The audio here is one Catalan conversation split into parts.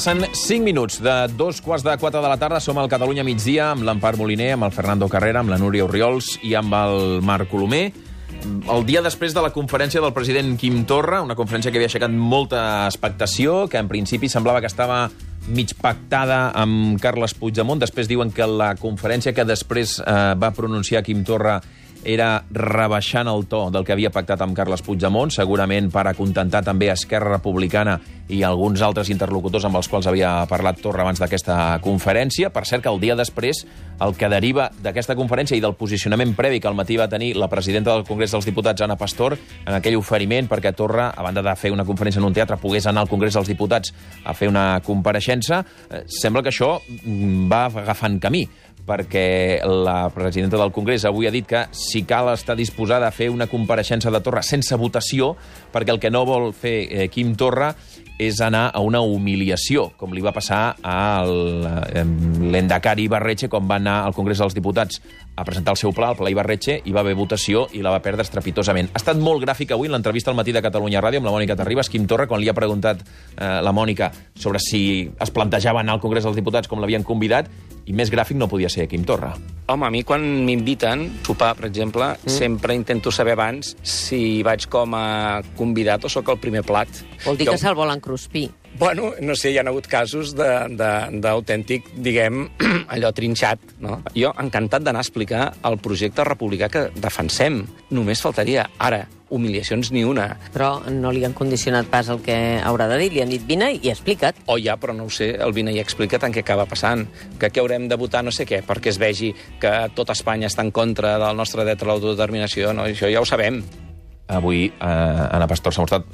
Passen 5 minuts de 3:45 de la tarda. Som al Catalunya migdia amb l'Empar Moliner, amb el Fernando Carrera, amb la Núria Orriols i amb el Marc Colomer. El dia després de la conferència del president Quim Torra, una conferència que havia aixecat molta expectació, que en principi semblava que estava mig pactada amb Carles Puigdemont. Després diuen que la conferència que després va pronunciar Quim Torra era rebaixant el to del que havia pactat amb Carles Puigdemont, segurament per acontentar també Esquerra Republicana i alguns altres interlocutors amb els quals havia parlat Torra abans d'aquesta conferència. Per cert, que el dia després, el que deriva d'aquesta conferència i del posicionament previ que al matí va tenir la presidenta del Congrés dels Diputats, Ana Pastor, en aquell oferiment perquè Torra, a banda de fer una conferència en un teatre, pogués anar al Congrés dels Diputats a fer una compareixença, sembla que això va agafant camí, perquè la presidenta del Congrés avui ha dit que si cal està disposada a fer una compareixença de Torra sense votació, perquè el que no vol fer Quim Torra és anar a una humiliació, com li va passar a l'Endacari Ibarretxe quan va anar al Congrés dels Diputats a presentar el seu pla, el pla Ibarretxe, i va haver votació i la va perdre estrepitosament. Ha estat molt gràfic avui en l'entrevista al matí de Catalunya Ràdio amb la Mònica Terribas, Quim Torra, quan li ha preguntat la Mònica sobre si es plantejava anar al Congrés dels Diputats com l'havien convidat, i més gràfic no podia ser Quim Torra. Home, a mi quan m'inviten a sopar, per exemple, sempre intento saber abans si vaig com a convidat o sóc el primer plat. Vol dir que se'l volen cruspir. Bueno, no sé, hi ha hagut casos d'autèntic, diguem, allò trinxat, no? Jo encantat d'anar a explicar el projecte republicà que defensem. Només faltaria. Ara, humiliacions ni una. Però no li han condicionat pas el que haurà de dir. Li han dit vine i explica't. Oh, ja, però no ho sé, el vine i explica't en què acaba passant. Que haurem de votar no sé què, perquè es vegi que tot Espanya està en contra del nostre dret a l'autodeterminació. No? Això ja ho sabem. Avui Ana Pastor s'ha mostrat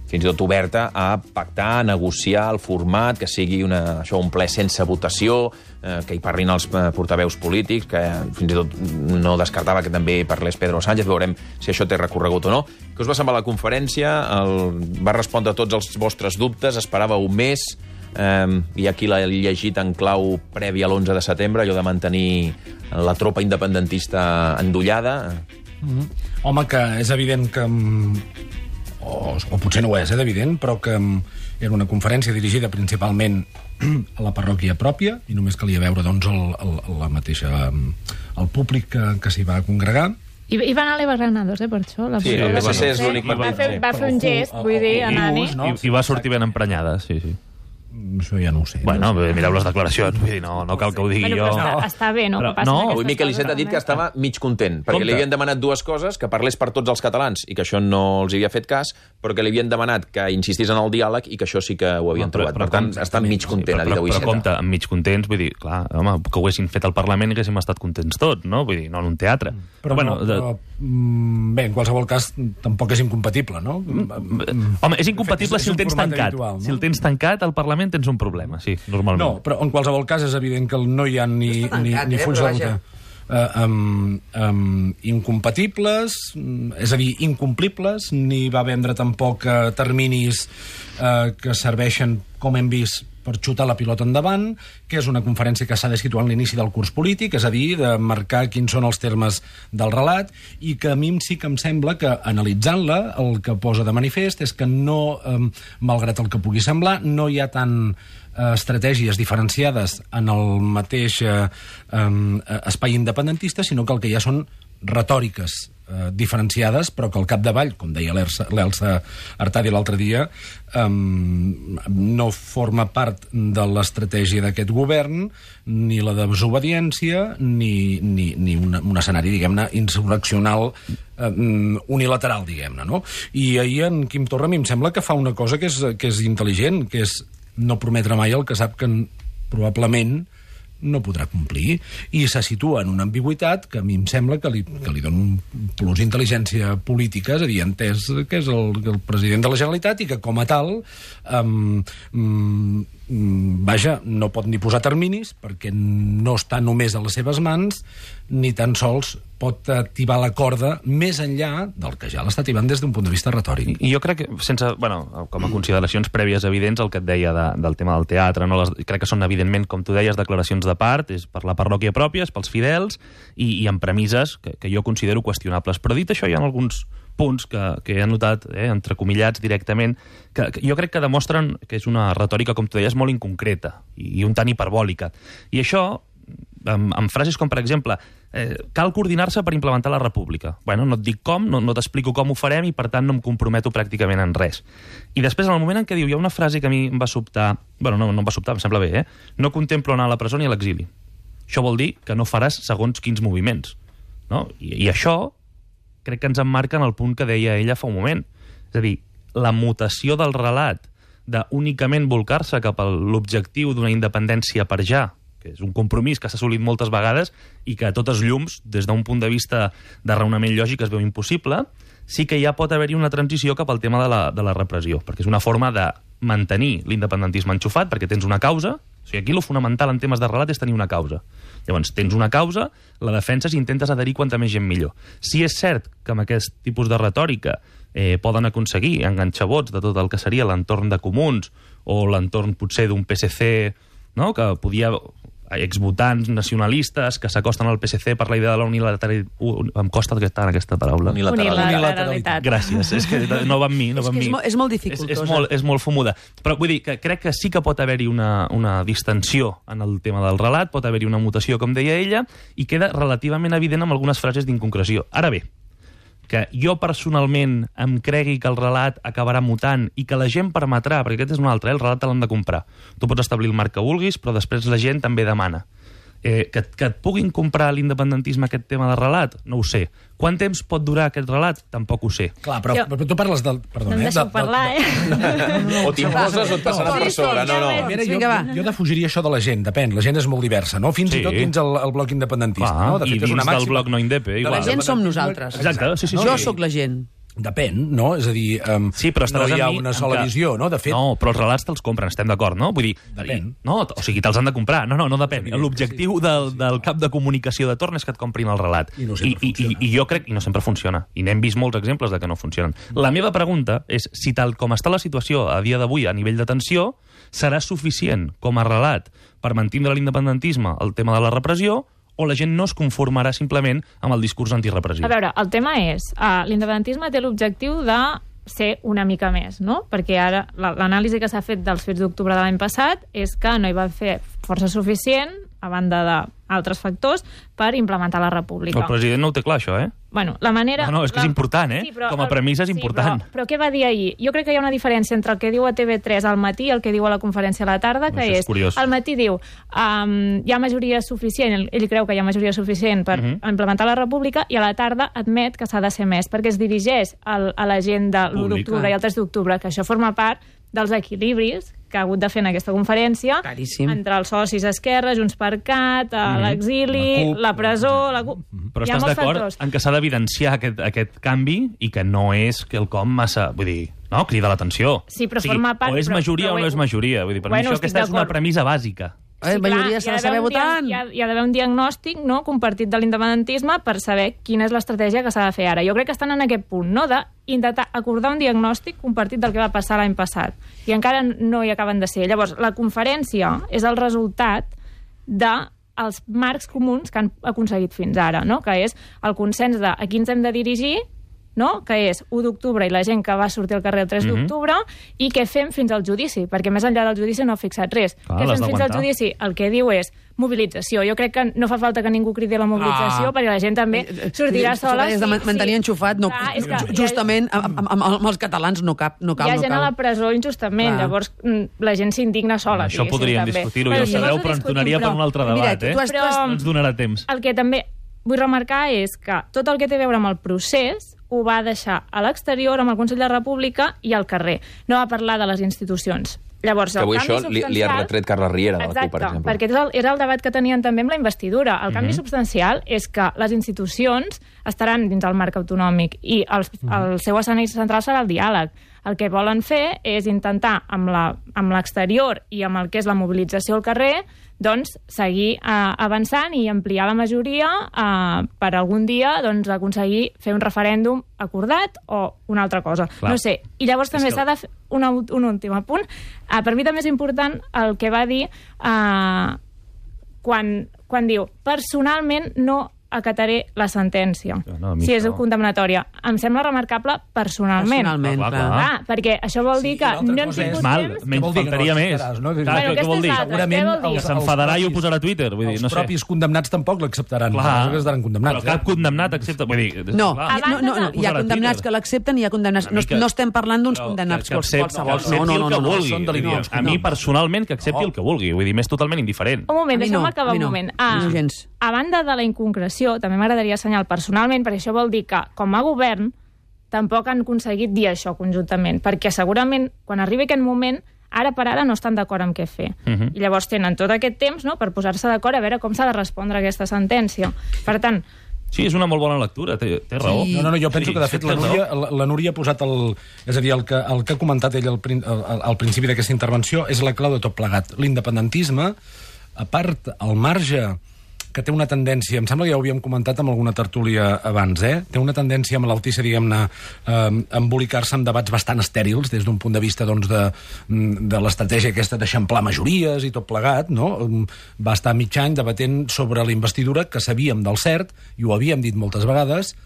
fins i tot oberta a pactar, a negociar el format, que sigui un ple sense votació, que hi parlin els portaveus polítics, que fins i tot no descartava que també parlés Pedro Sánchez. Veurem si això té recorregut o no. Què us va semblar la conferència? Va respondre a tots els vostres dubtes? Esperava un mes? Hi ha qui l'ha llegit en clau prèvia a l'11 de setembre, allò de mantenir la tropa independentista endollada? Home, que és evident que... O potser no ho és, evident, però que era una conferència dirigida principalment a la parròquia pròpia, i només calia veure, doncs, el públic que s'hi va congregar. I va anar a l'Eva Granados, per això. Sí, el PSC és l'únic partit. Va fer un gest, vull dir, anant-hi. I va sortir ben emprenyada, sí. Això ja no ho sé. Bueno, mireu les declaracions, vull dir, no cal que ho digui jo. Està bé, no? Avui Miquel Iceta ha dit que estava mig content, perquè li havien demanat dues coses, que parlés per tots els catalans, i que això no els havia fet cas, però que li havien demanat que insistís en el diàleg i que això sí que ho havien trobat. Per tant, està mig content, ha dit avui Iceta. Però compte, amb mig contents, vull dir, clar, home, que ho haguessin fet al Parlament i haguéssim estat contents tots, no? Vull dir, no en un teatre. Però bé, en qualsevol cas, tampoc és incompatible, no? Home, és incompatible si el tens tancat. Si el tens tancat, al Parlament tens un problema, sí, normalment. No, però en qualsevol cas és evident que no hi ha ni fulls de ruta incompatibles, és a dir, incomplibles, ni va vendre tampoc terminis que serveixen, com hem vist, per xutar la pilota endavant, que és una conferència que s'ha de situar en l'inici del curs polític, és a dir, de marcar quins són els termes del relat, i que a mi sí que em sembla que, analitzant-la, el que posa de manifest és que no, malgrat el que pugui semblar, no hi ha tant estratègies diferenciades en el mateix espai independentista, sinó que el que hi ha són retòriques diferenciades, però que al capdavall, com deia l'Elsa Artadi l'altre dia, no forma part de l'estratègia d'aquest govern, ni la de desobediència, ni un escenari, diguem-ne, insurreccional unilateral, diguem-ne, no? I ahir en Quim Torra a mi em sembla que fa una cosa que és intel·ligent, que és no prometre mai el que sap que probablement no podrà complir, i se situa en una ambigüitat que a mi em sembla que li dona un plus d'intel·ligència política, és a dir, entès que és el president de la Generalitat i que com a tal vaja, no pot ni posar terminis perquè no està només a les seves mans, ni tan sols pot activar la corda més enllà del que ja l'està activant des d'un punt de vista retòric. I jo crec que, com a consideracions prèvies evidents, el que et deia del tema del teatre, crec que són, evidentment, com tu deies, declaracions de part, és per la parròquia pròpia, és pels fidels, i amb premisses que jo considero qüestionables. Però dit això, hi ha alguns punts que he anotat, entrecomillats directament, que jo crec que demostren que és una retòrica, com tu deies, molt inconcreta i un tant hiperbòlica. I això, amb frases com, per exemple, cal coordinar-se per implementar la república. Bueno, no et dic com, no t'explico com ho farem i, per tant, no em comprometo pràcticament en res. I després, en el moment en què diu, hi ha una frase que a mi em va sobtar, bueno, no em va sobtar, em sembla bé, no contemplo anar a la presó ni a l'exili. Això vol dir que no faràs segons quins moviments. No? I això crec que ens emmarca en el punt que deia ella fa un moment. És a dir, la mutació del relat d'únicament volcar-se cap a l'objectiu d'una independència per ja, que és un compromís que s'ha assolit moltes vegades i que a totes llums, des d'un punt de vista de raonament lògic, es veu impossible, sí que ja pot haver-hi una transició cap al tema de la repressió, perquè és una forma de mantenir l'independentisme enxufat, perquè tens una causa. O sigui, aquí el fonamental en temes de relat és tenir una causa. Llavors, tens una causa, la defenses i intentes adherir quanta més gent millor. Si és cert que amb aquest tipus de retòrica poden aconseguir enganxar vots de tot el que seria l'entorn de Comuns o l'entorn potser d'un PSC, no? Que podia exvotants nacionalistes que s'acosten al PSC per la idea de la unilateralitat. Em costa en aquesta paraula. Unilateralitat. Gràcies. És que no va amb mi. És molt dificultosa. És molt fumuda. Però vull dir que crec que sí que pot haver-hi una distensió en el tema del relat, pot haver-hi una mutació, com deia ella, i queda relativament evident amb algunes frases d'inconcreció. Ara bé, que jo personalment em cregui que el relat acabarà mutant i que la gent permetrà, perquè aquest és un altre, el relat te l'han de comprar. Tu pots establir el marc que vulguis, però després la gent també demana. Que et puguin comprar l'independentisme aquest tema de relat? No ho sé. Quant temps pot durar aquest relat? Tampoc ho sé. Clar, però tu parles del... No em deixeu parlar, O t'imposes o et passarà per sobre. Jo defugiria això de la gent, depèn. La gent és molt diversa, no? Fins i tot dins el bloc independentista. I dins del bloc no indepe, igual. La gent som nosaltres. Exacte, sí. Jo sóc la gent. Depèn, no? És a dir, sí, però no hi ha una sola visió, no? De fet... No, però els relats te'ls compren, estem d'acord, no? Vull dir, depèn. No, o sigui, te'ls han de comprar. No depèn. L'objectiu del cap de comunicació de torn és que et comprin el relat. I no sempre funciona. I jo crec... I no sempre funciona. I n'hem vist molts exemples de que no funcionen. La meva pregunta és si tal com està la situació a dia d'avui a nivell de tensió, serà suficient com a relat per mantindre l'independentisme, el tema de la repressió, o la gent no es conformarà simplement amb el discurs antirepressiu? A veure, el tema és, l'independentisme té l'objectiu de ser una mica més, no? Perquè ara l'anàlisi que s'ha fet dels fets d'octubre de l'any passat és que no hi va fer força suficient, a banda d'altres factors, per implementar la república. El president no ho té clar, això, Bueno, la manera... No, és que és important, Sí, però, com a premissa és important. Però què va dir ahir? Jo crec que hi ha una diferència entre el que diu a TV3 al matí i el que diu a la conferència a la tarda, que és curiós. al matí diu hi ha majoria suficient, ell creu que hi ha majoria suficient per implementar la república, i a la tarda admet que s'ha de ser més, perquè es dirigeix a la gent de l'1 d'octubre i el 3 d'octubre, que això forma part dels equilibris que ha hagut de fer en aquesta conferència. Caríssim. Entre els socis Esquerra, Junts per Cat, l'exili, la presó... Però estàs d'acord en que s'ha d'evidenciar aquest canvi i que no és quelcom massa... Vull dir, no? Crida l'atenció. Sí, però forma part... O és majoria o no és majoria. Vull dir, per mi això aquesta és una premissa bàsica. Sí, majoria s'ha de saber votar. Hi ha d'haver un diagnòstic, no, compartit de l'independentisme per saber quina és l'estratègia que s'ha de fer ara. Jo crec que estan en aquest punt, no?, d'intentar acordar un diagnòstic compartit del que va passar l'any passat. I encara no hi acaben de ser. Llavors, la conferència és el resultat dels marcs comuns que han aconseguit fins ara, no?, que és el consens de a qui ens hem de dirigir, no?, que és 1 d'octubre i la gent que va sortir al carrer el 3 d'octubre, i què fem fins al judici, perquè més enllà del judici no ha fixat res. Què fem fins al judici? El que diu és mobilització. Jo crec que no fa falta que ningú cridi la mobilització, perquè la gent també sortirà sola. Has de mantenir enxufat. Justament amb els catalans no cap. Hi ha gent a la presó injustament, llavors la gent s'indigna sola. Això podríem discutir-ho, ja ho sabeu, però ens donaria per un altre debat, Però ens donarà temps. El que també vull remarcar és que tot el que té a veure amb el procés ho va deixar a l'exterior, amb el Consell de la República i al carrer. No va parlar de les institucions. Llavors, que avui això li ha retret Carles Riera de la CUP, per exemple. Perquè era el debat que tenien també amb la investidura. El canvi substancial és que les institucions estaran dins el marc autonòmic i el seu escenari central serà el diàleg. El que volen fer és intentar, amb l'exterior i amb el que és la mobilització al carrer, doncs seguir avançant i ampliar la majoria per algun dia aconseguir fer un referèndum acordat o una altra cosa. Clar. No sé. I llavors també s'ha de fer un últim apunt. Per mi també és important el que va dir quan diu personalment no acataré la sentència. No, si és condemnatòria. Em sembla remarcable personalment. Personalment, clar. Perquè això vol dir que no hem tingut temps... Menys faltaria més. Què vol dir? Segurament S'enfadarà i ho posarà a Twitter. Els propis condemnats tampoc l'acceptaran. Però condemnats. cap condemnat accepta... No, hi ha condemnats que l'accepten i hi ha condemnats... No estem parlant d'uns condemnats qualsevol. No. A mi, personalment, que accepti el que vulgui. Vull dir, m'és totalment indiferent. Un moment, deixa'm acabar un moment. A banda de la inconcreció, també m'agradaria assenyalar personalment, perquè això vol dir que, com a govern, tampoc han aconseguit dir això conjuntament, perquè segurament, quan arribi aquest moment, ara per ara no estan d'acord amb què fer. I llavors tenen tot aquest temps, no?, per posar-se d'acord a veure com s'ha de respondre a aquesta sentència. Per tant... Sí, és una molt bona lectura, té raó. No, jo penso que, de fet, la Núria ha posat és a dir, el que ha comentat ell al principi d'aquesta intervenció és la clau de tot plegat. L'independentisme, a part, al marge que té una tendència, em sembla que ja ho havíem comentat amb alguna tertúlia abans, té una tendència malaltissa, diguem-ne, a embolicar-se en debats bastant estèrils des d'un punt de vista de l'estratègia aquesta d'eixamplar majories i tot plegat, no? Va estar mig any debatent sobre la investidura, que sabíem del cert, i ho havíem dit moltes vegades,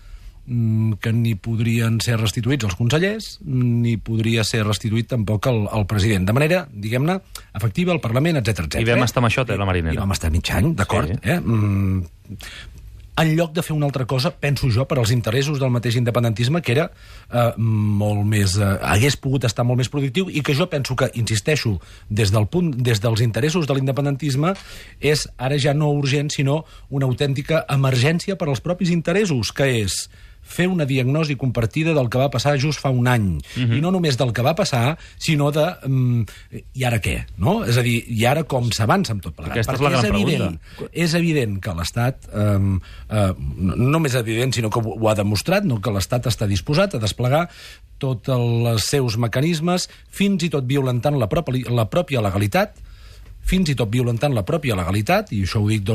que ni podrien ser restituïts els consellers, ni podria ser restituït tampoc el president. De manera, diguem-ne, efectiva, al Parlament, etc. I vam estar amb això, la Marinera. I vam estar mig any, d'acord. Sí. En lloc de fer una altra cosa, penso jo, per als interessos del mateix independentisme, que era molt més... hagués pogut estar molt més productiu, i que jo penso que, insisteixo, des dels interessos de l'independentisme, és ara ja no urgent, sinó una autèntica emergència per als propis interessos, que és fer una diagnosi compartida del que va passar just fa un any. I no només del que va passar, sinó de... I ara què? No? És a dir, i ara com s'avança amb tot plegat? Aquesta és la gran pregunta. És evident que l'Estat, no només evident, sinó que ho ha demostrat, no, que l'Estat està disposat a desplegar tots els seus mecanismes, fins i tot violentant la pròpia legalitat, i això ho dic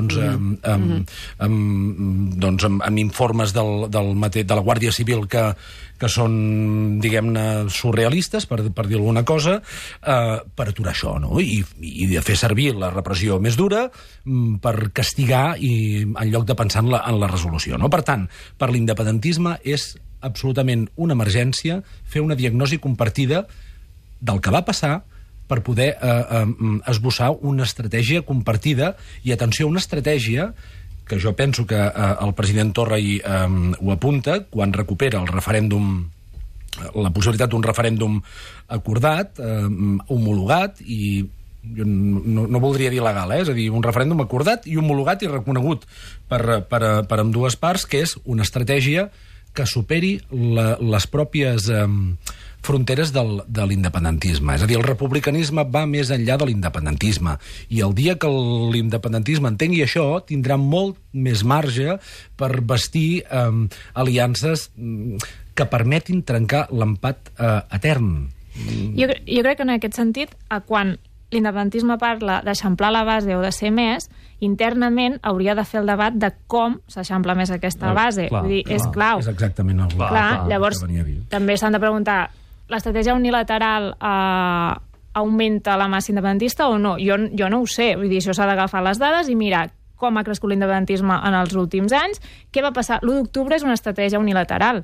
amb informes de la Guàrdia Civil que són, diguem-ne, surrealistes, per dir alguna cosa, per aturar això, no? I de fer servir la repressió més dura per castigar en lloc de pensar en la resolució, no? Per tant, per l'independentisme és absolutament una emergència fer una diagnosi compartida del que va passar, per poder esbossar una estratègia compartida, i atenció, una estratègia que jo penso que el president Torra ho apunta quan recupera el referèndum, la possibilitat d'un referèndum acordat, homologat, i jo no voldria dir legal, és a dir, un referèndum acordat i homologat i reconegut per ambdues parts, que és una estratègia que superi les pròpies fronteres de l'independentisme. És a dir, el republicanisme va més enllà de l'independentisme, i el dia que l'independentisme entengui això, tindrà molt més marge per bastir aliances que permetin trencar l'empat etern. Jo crec que en aquest sentit, quan l'independentisme parla d'eixamplar la base o de ser més, internament hauria de fer el debat de com s'eixampla més aquesta base. Vull dir, és clau. És exactament el clar. Llavors, també s'han de preguntar, l'estratègia unilateral augmenta la massa independentista o no? Jo no ho sé. Vull dir, això s'ha d'agafar les dades i mirar com ha crescut l'independentisme en els últims anys. Què va passar? L'1 d'octubre és una estratègia unilateral.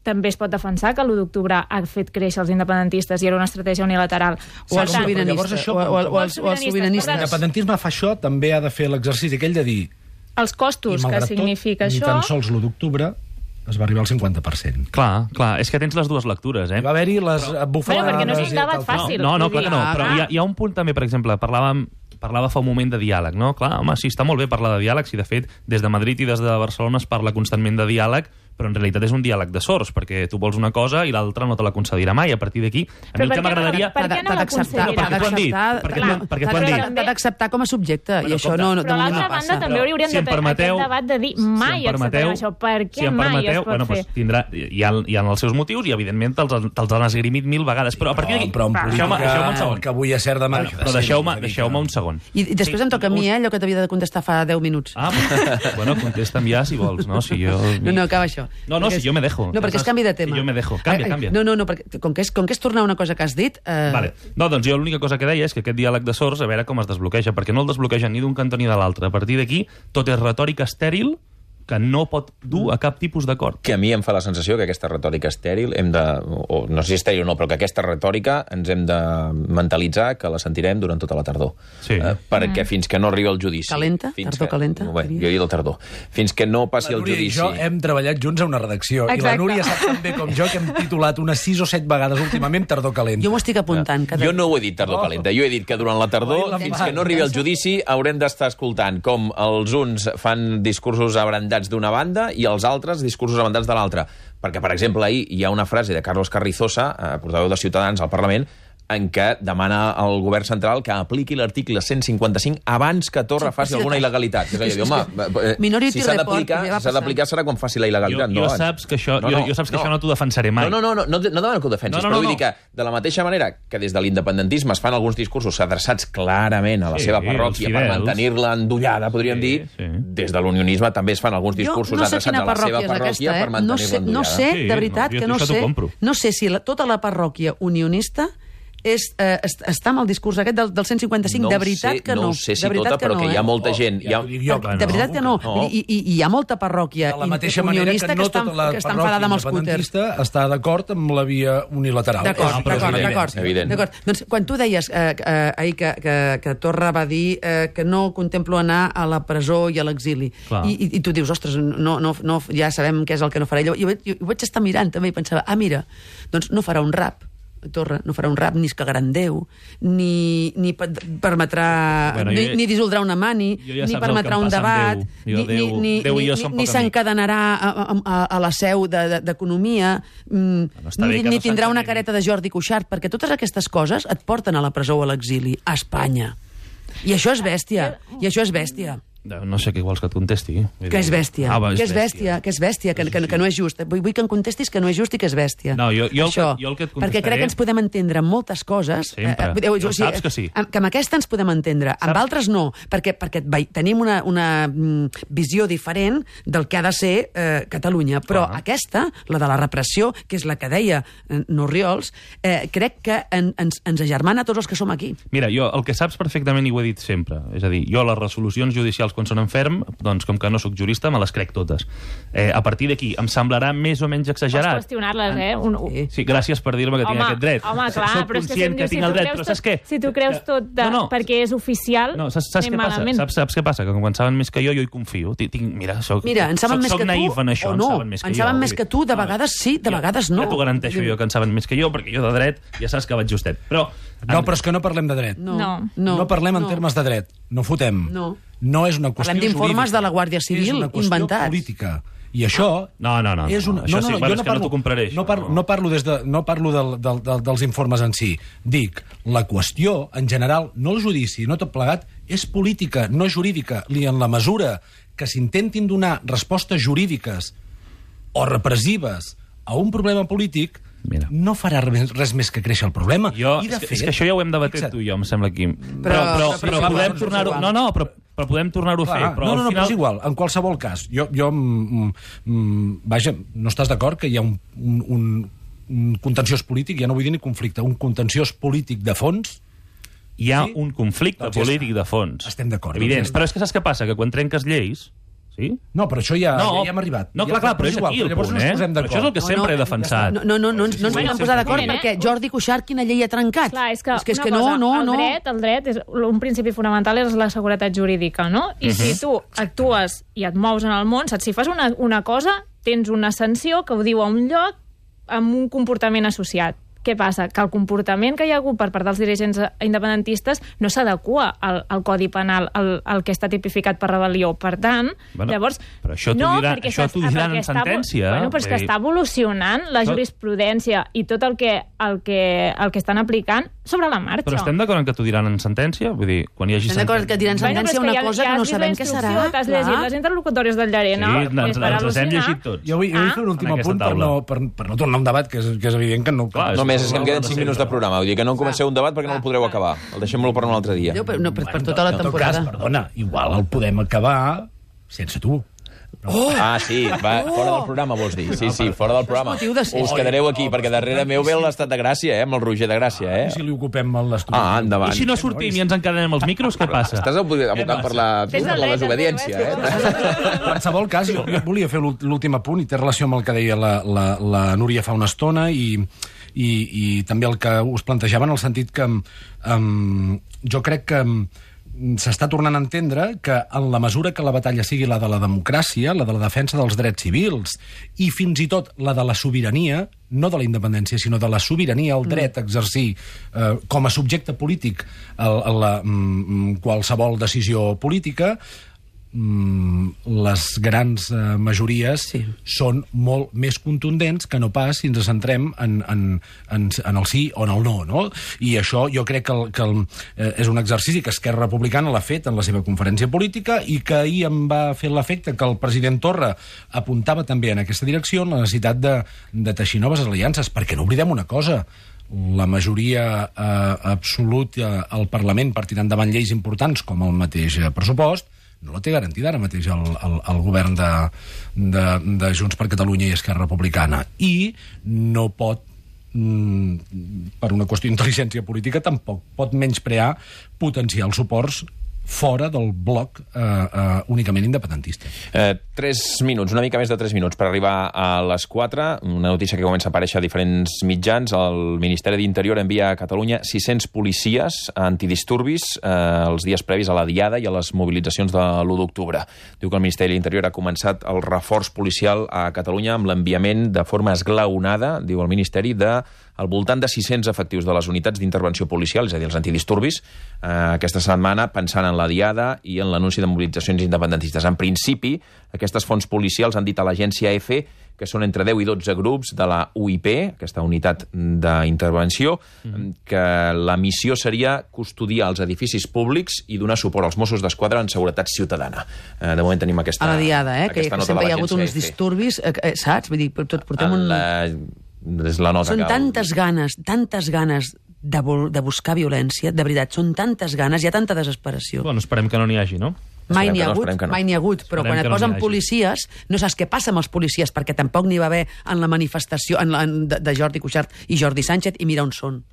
També es pot defensar que l'1 d'octubre ha fet créixer els independentistes i era una estratègia unilateral. O els sobiranistes. O els sobiranistes. L'independentisme fa això, també ha de fer l'exercici aquell de dir... Els costos que significa això... Ni tan sols l'1 d'octubre es va arribar al 50%. Clar, és que tens les dues lectures, Va haver-hi les bufades... perquè no és un debat fàcil. No, clar que no, però hi ha un punt també, per exemple, parlava fa un moment de diàleg, no? Clar, home, sí, està molt bé parlar de diàleg, si de fet des de Madrid i des de Barcelona es parla constantment de diàleg, però en realitat és un diàleg de sords, perquè tu vols una cosa i l'altra no te la concedirà mai. A partir d'aquí, a mi el que m'agradaria... Per què no l'aconseguirà? Perquè t'ho han dit. T'ha d'acceptar com a subjecte, i això no passa. Però a l'altra banda també hauríem de tenir aquest debat de dir mai acceptarem això. Per què mai es pot fer? Hi ha els seus motius i, evidentment, te'ls han esgrimit 1000 vegades. Però a partir d'aquí... Però en política, que avui és cert demà... Però deixeu-me un segon. I després em toca a mi, allò que t'havia de contestar fa 10 minuts. Bueno, contesta'm ja, si vols, no? No, acaba això. No, si jo me dejo. No, perquè és canvi de tema. Jo me dejo. Canvia. No, perquè com que és tornar una cosa que has dit... Vale. No, doncs jo l'única cosa que deia és que aquest diàleg de sords, a veure com es desbloqueja, perquè no el desbloqueja ni d'un cantó ni de l'altre. A partir d'aquí, tot és retòrica estèril que no pot dur a cap tipus d'acord. Que a mi em fa la sensació que aquesta retòrica estèril, o no sé si estèril o no, però que aquesta retòrica ens hem de mentalitzar que la sentirem durant tota la tardor. Sí. Perquè fins que no arribi el judici... Calenta? Tardor calenta? Bé, jo he dit el tardor. Fins que no passi el judici... La Núria i jo hem treballat junts a una redacció. Exacte. I la Núria sap tan bé com jo que hem titulat unes 6 o 7 vegades últimament Tardor calenta. Jo m'ho estic apuntant. Jo no ho he dit tardor calenta. Jo he dit que durant la tardor, fins que no arribi el judici, haurem d'estar escoltant com els uns fan discursos abrandats d'una banda i els altres discursos abrandats de l'altra. Perquè, per exemple, ahir hi ha una frase de Carlos Carrizosa, portaveu de Ciutadans al Parlament, en què demana al govern central que apliqui l'article 155 abans que Torra faci alguna il·legalitat. És a dir, home, si s'ha d'aplicar serà quan faci la il·legalitat. Jo saps que això no t'ho defensaré mai. No demano que ho defensis, però vull dir que de la mateixa manera que des de l'independentisme es fan alguns discursos adreçats clarament a la seva parròquia per mantenir-la endollada, podríem dir, des de l'unionisme també es fan alguns discursos adreçats a la seva parròquia per mantenir-la endollada. No sé, de veritat, que no sé. No sé si tota la parròquia unionista està amb el discurs aquest del 155, de veritat que no. No sé si tota, però que hi ha molta gent... De veritat que no. I hi ha molta parròquia unionista que està enfadada amb els scooters. Està d'acord amb la via unilateral. D'acord. Doncs quan tu deies ahir que Torra va dir que no contemplo anar a la presó i a l'exili, i tu dius, ostres, ja sabem què és el que no farà. Jo ho vaig estar mirant també i pensava, mira, doncs no farà un rap. Torra no farà un rap, ni es cagarà en Déu, ni permetrà... ni dissoldrà una mani, ni permetrà un debat, ni s'encadenarà a la seu d'Economia, ni tindrà una careta de Jordi Cuixart, perquè totes aquestes coses et porten a la presó o a l'exili, a Espanya. I això és bèstia. No sé què vols que et contesti. Que és bèstia, que no és just. Vull que em contestis que no és just i que és bèstia. No, jo el que et contestaré... Perquè crec que ens podem entendre en moltes coses. Sempre. Saps que sí. Que amb aquesta ens podem entendre. Amb altres no, perquè tenim una visió diferent del que ha de ser Catalunya. Però aquesta, la de la repressió, que és la que deia N'Orriols, crec que ens agermana a tots els que som aquí. Mira, jo el que saps perfectament i ho he dit sempre, és a dir, jo les resolucions judicials quan són en ferm, doncs com que no sóc jurista, me les crec totes. A partir d'aquí, em semblarà més o menys exagerat. Pots qüestionar-les, Sí, gràcies per dir-me que tinc aquest dret. Home, clar, soc conscient que tinc el dret, però saps què? Si tu creus tot perquè és oficial, saps què passa? Saps què passa? Que quan saben més que jo hi confio. Mira, soc naïf en això, en saben més que tu, de vegades sí, de vegades no. Ja t'ho garanteixo jo que en saben més que jo, perquè jo de dret ja saps que vaig justet. Però és que no parlem de dret. No parlem en termes de dret. No fotem. No és una qüestió jurídica. Parlem d'informes de la Guàrdia Civil inventats. És una qüestió política. I això... No. Això sí, és que no t'ho compraré. No parlo dels informes en si. Dic, la qüestió, en general, no el judici, no tot plegat, és política, no jurídica. I en la mesura que s'intentin donar respostes jurídiques o repressives a un problema polític, no farà res més que créixer el problema. És que això ja ho hem debatit tu i jo, em sembla, Quim. Però podem tornar-ho... Però podem tornar-ho a fer. No, és igual. En qualsevol cas, vaja, no estàs d'acord que hi ha un contenciós polític, ja no vull dir ni conflicte, un contenciós polític de fons? Hi ha un conflicte polític de fons. Estem d'acord. Evident. Però és que saps què passa? Que quan trenques lleis... Sí? No, però això ja hem arribat. No, clar, però és aquí el punt, Però això és el que sempre he defensat. No ens podem posar d'acord perquè Jordi Cuixart quina llei ha trencat? Clar, és que el dret, un principi fonamental és la seguretat jurídica, no? I si tu actues i et mous en el món, saps? Si fas una cosa, tens una sanció que ho diu a un lloc amb un comportament associat. Què passa? Que el comportament que hi ha hagut per part dels dirigents independentistes no s'adequa al Codi Penal, al que està tipificat per rebel·lió. Per tant, llavors... Però això t'ho diran en sentència. Però és que està evolucionant la jurisprudència i tot el que estan aplicant sobre la marxa. Però estem d'acord en que t'ho diran en sentència? Vull dir, quan hi hagi sentència... Estem d'acord que diran sentència una cosa que no sabem què serà. T'has llegit les interlocutòries del Llarena. Sí, ens les hem llegit tots. Jo vull fer un últim apunt per no tornar a un debat, que és evident que no... Només és que em queden 5 minuts de programa. Vull dir que no comenceu un debat perquè no el podreu acabar. El deixem-lo per un altre dia. Per tota la temporada. En tot cas, perdona, igual el podem acabar sense tu. Ah, sí, va, fora del programa, vols dir. Sí, fora del programa. Us quedareu aquí, perquè darrere meu ve l'estat de Gràcia, amb el Roger de Gràcia, I si li ocupem l'estudi? Ah, endavant. I si no sortim i ens encadenem els micros, què passa? Estàs abocant per la desobediència, qualsevol cas, jo volia fer l'últim apunt i té relació amb el que deia la Núria fa una estona i també el que us plantejava en el sentit que jo crec que s'està tornant a entendre que en la mesura que la batalla sigui la de la democràcia, la de la defensa dels drets civils i fins i tot la de la sobirania, no de la independència, sinó de la sobirania, el dret a exercir com a subjecte polític qualsevol decisió política, les grans majories són molt més contundents que no pas si ens centrem en el sí o en el no, no? I això jo crec que és un exercici que Esquerra Republicana l'ha fet en la seva conferència política i que ahir em va fer l'efecte que el president Torra apuntava també en aquesta direcció, en la necessitat de teixir noves aliances, perquè no oblidem una cosa: la majoria absoluta al Parlament per tirar endavant lleis importants com el mateix pressupost no la té garantida ara mateix el govern de Junts per Catalunya i Esquerra Republicana. I no pot, per una qüestió d'intel·ligència política, tampoc pot menysprear potencials suports fora del bloc únicament independentista. 3 minuts, una mica més de 3 minuts per arribar a les 4. Una notícia que comença a aparèixer a diferents mitjans. El Ministeri d'Interior envia a Catalunya 600 policies antidisturbis els dies previs a la Diada i a les mobilitzacions de l'1 d'octubre. Diu que el Ministeri d'Interior ha començat el reforç policial a Catalunya amb l'enviament de forma esglaonada, diu el Ministeri, al voltant de 600 efectius de les unitats d'intervenció policial, és a dir, els antidisturbis, aquesta setmana pensant en la Diada i en l'anunci de mobilitzacions independentistes. En principi, aquestes fonts policials han dit a l'agència EFE que són entre 10 i 12 grups de la UIP, aquesta unitat d'intervenció, que la missió seria custodiar els edificis públics i donar suport als Mossos d'Esquadra en seguretat ciutadana. De moment tenim aquesta a la Diada, aquesta que nota sempre hi ha de hagut uns disturbis, saps? Vull dir, tot portem és la nota són que... tantes ganes de buscar violència, de veritat, són tantes ganes, hi ha tanta desesperació. Bueno, esperem que no n'hi hagi, no? Mai n'hi ha hagut, però quan et posen policies, no saps què passa amb els policies, perquè tampoc n'hi va haver en la manifestació de Jordi Cuixart i Jordi Sánchez, i mira on són.